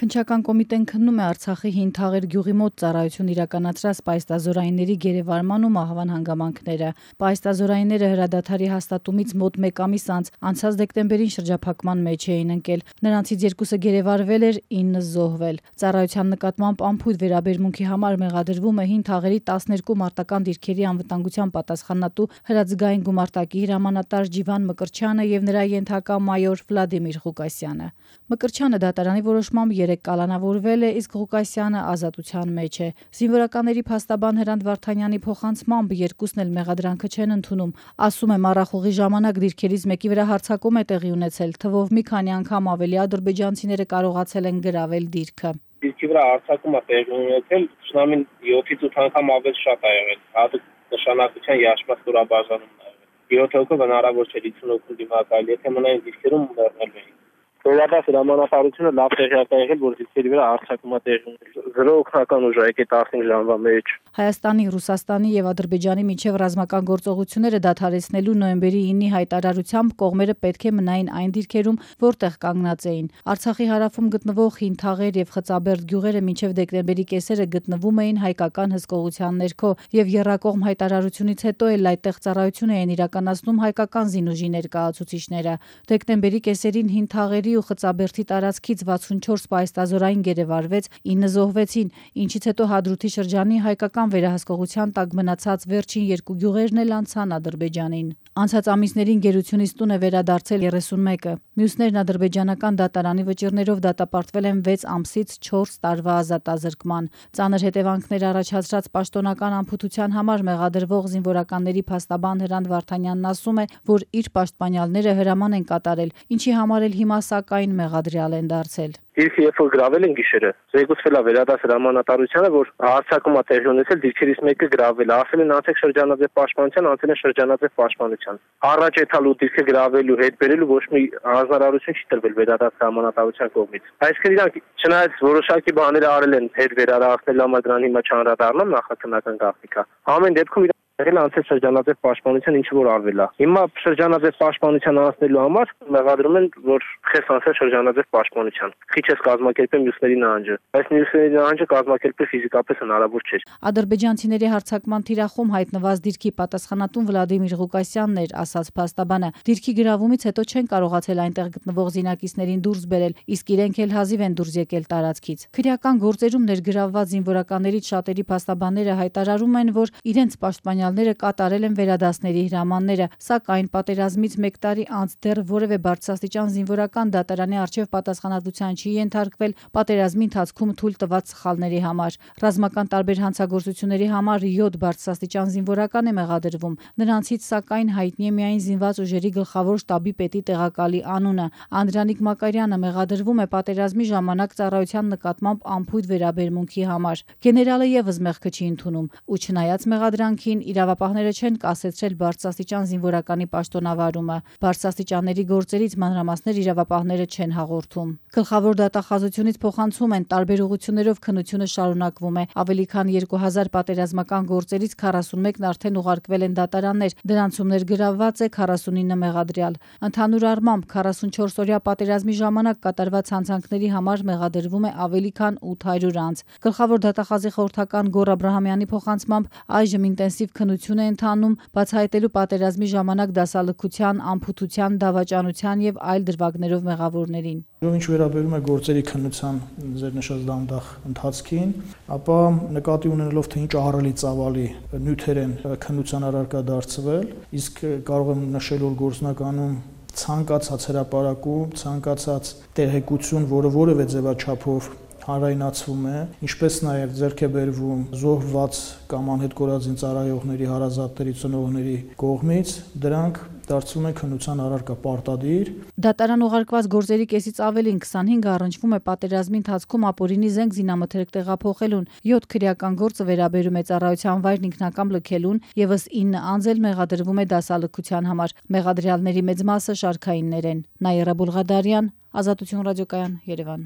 Քննչական կոմիտեն քննում է Արցախի Հին Թաղեր գյուղի մոտ ծառայություն իրականացրած պայստազորայինների գերեվարման ու մահվան հանգամանքները։ Պայստազորայինները հրադադարի հաստատումից մոտ 1 ամիս անց անցած դեկտեմբերին շրջափակման մեջ էին ընկել։ Նրանցից 2-ը գերեվարվել էր, 9 զոհվել։ Ծառայության նկատմամբ անփույթ վերաբերմունքի համար մեղադրվում է Հին Թաղերի 12 մարտական դիրքերի անվտանգության պատասխանատու հրաձգային գումարտակի հրամանատար Ջիվան Մկրտչյանը եւ նրա ենթակա մայոր Վլադիմիր Ղուկասյանը։ Մկրտչյանը դատարանի որոշմամբ 3 կալանավորվել է, իսկ Ղուկասյանը ազատության մեջ է։ Զինվորականների փաստաբան Հրանտ Վարդանյանի փոխանցմամբ 2-ն էլ մեղադրանքը չեն ընդունում։ Ասում է, մառախուղի ժամանակ դիրքերից մեկի վրա հարձակում է տեղի ունեցել, թվով մի քանի անգամ ավելի ադրբեջանցիները կարողացել են գրավել դիրքը։ Դիրքի վրա հարձակում է տեղի ունեցել, շնամին 7-ից 8 անգամ ավելի շատ է եղել։ Հատուկ նշանակության երաշխված ստորաբաժանումն է եղել։ 7 հոգով հնարավոր չէ 50 հոգու դիմակայել, եթե մնային դիրքերում մեռնել էին։ Վերադարձ հրամանատարությունը լավ տեղյակ է եղել, որ դիրքերի վրա հարձակում է տեղի ունեցել։ 0 օգնական ուժ է եկել 15 ժամվա մեջ։ Հայաստանի, Ռուսաստանի եւ Ադրբեջանի միջև ռազմական գործողությունները դադարեցնելու նոյեմբերի 9-ի հայտարարությամբ կողմերը պետք է մնային այն դիրքերում, որտեղ կանգնած էին։ Արցախի հարավում գտնվող Հին Թաղեր եւ Խծաբերդ գյուղերը մինչև դեկտեմբերի կեսերը գտնվում էին հայկական հսկողության ներքո եւ եռակողմ հայտարարությունից հետո էլ այդտեղ ծառայություն էին իրականացնում հայկական զինուժի ներկայացուցիչները։ Դեկտեմբերի կեսերին Հին Թաղերի ու Խծաբերդի տարածքից 64 պայստազորային գերեվարվեց, 9 զոհվեցին, ինչից հետո Հադրութի շրջանի հայկական վերահսկողության տակ մնացած վերջին 2 գյուղերն էլ անցան Ադրբեջանին։ Անցած ամիսներին գերությունից տուն է վերադարձել 31-ը։ Մյուսներն ադրբեջանական դատարանի վճիռներով դատապարտվել են 6 ամսից 4 տարվա ազատազրկման։ Ծանր հետևանքներ առաջացրած պաշտոնական անփութության համար մեղադրվող զինվորականների փաստաբան Հրանտ Վարդանյանն ասում է, որ իր պաշտպանյալները հրաման են կատարել, ինչի համար էլ հիմա սակայն մեղադրյալ են դարձել։ Դիրքը երբ որ գրավել են գիշերը, զեկուցվել է վերադարձ հրամանատարությանը, որ հարձակում է տեղի ունեցել, դիրքերից մեկը գրավել է, ասել են անցեք շրջանաձև պաշտպանության, անցել են շրջանաձև պաշտպանության։ Առաջ եթալու դիրքը գրավելու հետ բերելու ոչ մի հանձնարարություն չի տրվել վերադարձ հրամանատարության կողմից։ Այսինքն իրանք չնայած որոշակի բաներ արել են հետ վերադարձնելու համար, դրան հիմա չանդրադառնամ նախաքննական գաղտնիքա։ Ամեն դեպքում եղել անցել շրջանաձև պաշտպանության ինչ որ արվել է։ Հիմա շրջանաձև պաշտպանության անցնելու համար մեղադրում են, որ խես անցել շրջանաձև պաշտպանության։ Քիչ է կազմակերպել մյուսների նահանջը։ Այս մյուսների նահանջը կազմակերպել ֆիզիկապես հնարավոր չէ։ Ադրբեջանցիների հարձակման թիրախում հայտնված դիրքի պատասխանատուն Վլադիմիր Ղուկասյանն էր, ասաց փաստաբանը։ Դիրքի գրավումից հետո չեն կարողացել այնտեղ գտնվող զինակիցներին դուրս բերել, իսկ իրենք էլ հազիվ են դուրս եկել տարածքից։ Քրեական գործերում ներգրավված զինվորականներից շատերի փաստաբանները հայտարարում են, որ իրենց պաշտպանյալները կատարել են վերադասների հրամանները, սակայն պատերազմից 1 տարի անց դեռ որևէ բարձրաստիճան զինվորական դատարանի առջև պատասխանատվության չի ենթարկվել պատերազմի ընթացքում թույլ տված սխալների համար։ Ռազմական տարբեր հանցագործությունների համար 7 բարձրաստիճան զինվորական է մեղադրվում։ Նրանցից սակայն հայտնի է միայն զինված ուժերի գլխավոր շտաբի պետի տեղակալի անունը։ Անդրանիկ Մակարյանը մեղադրվում է պատերազմի ժամանակ ծառայության նկատմամբ անփույթ վերաբերմունքի համար։ Գեներալը եւս մեղքը չի ընդունում ու չնայած մեղադրանքին իրավապահները չեն կասեցրել բարձրաստիճան զինվորականի պաշտոնավարումը։ Բարձրաստիճանների գործերից մանրամասներ իրավապահները չեն հաղորդում։ Գլխավոր դատախազությունից փոխանցում են տարբեր ուղղություններով քննությունը շարունակվում է։ Ավելի քան 2000 պատերազմական գործերից 41-ն արդեն ուղարկվել են դատարաններ, դրանցում ներգրավված է 49 մեղադրյալ։ Ընդհանուր առմամբ 44-օրյա պատերազմի ժամանակ կատարված հանցանքների համար մեղադրվում է ավելի քան 800 անձ։ Գլխավոր դատախազի խորհրդական Գոռ Աբրահամյանի փոխանցմամբ այժմ ինտենսիվ քննություն է ընթանում, բացահայտելու պատերազմի ժամանակ դասալքության, անփութության, դավաճանության եւ այլ դրվագներով մեղավորներին։ Ինչ վերաբերում է գործերի քննության ձեր նշած դանդաղ ընթացքին, ապա նկատի ունենալով թե ինչ ահռելի ծավալի նյութեր են քննության առարկա դարձվել, իսկ կարող եմ նշել, որ գործնականում ցանկացած հրապարակում, ցանկացած տեղեկություն, որը որևէ ձևաչափով հանրայնացվում է, ինչպես նաև ձեռք է բերվում զոհված կամ անհետ կորածին ծառայողների հարազատների ծնողների կողմից, դրանք դարձվում են քննության առարկա պարտադիր։ Դատարան ուղարկված գործերի կեսից ավելին 25 առնչվում է պատերազմի ընթացքում ապօրինի զենք զինամթերք տեղափոխելուն, 7 քրեական գործը վերաբերում է ծառայության վայրն ինքնակամ լքելուն, եւս 9 անձ էլ մեղադրվում է դասալքության համար։ Մեղադրյալների մեծ մասը շարքայիններ են։ Նայիրա Բուլղադարյան, Ազատություն ռադիոկայան, Երևան։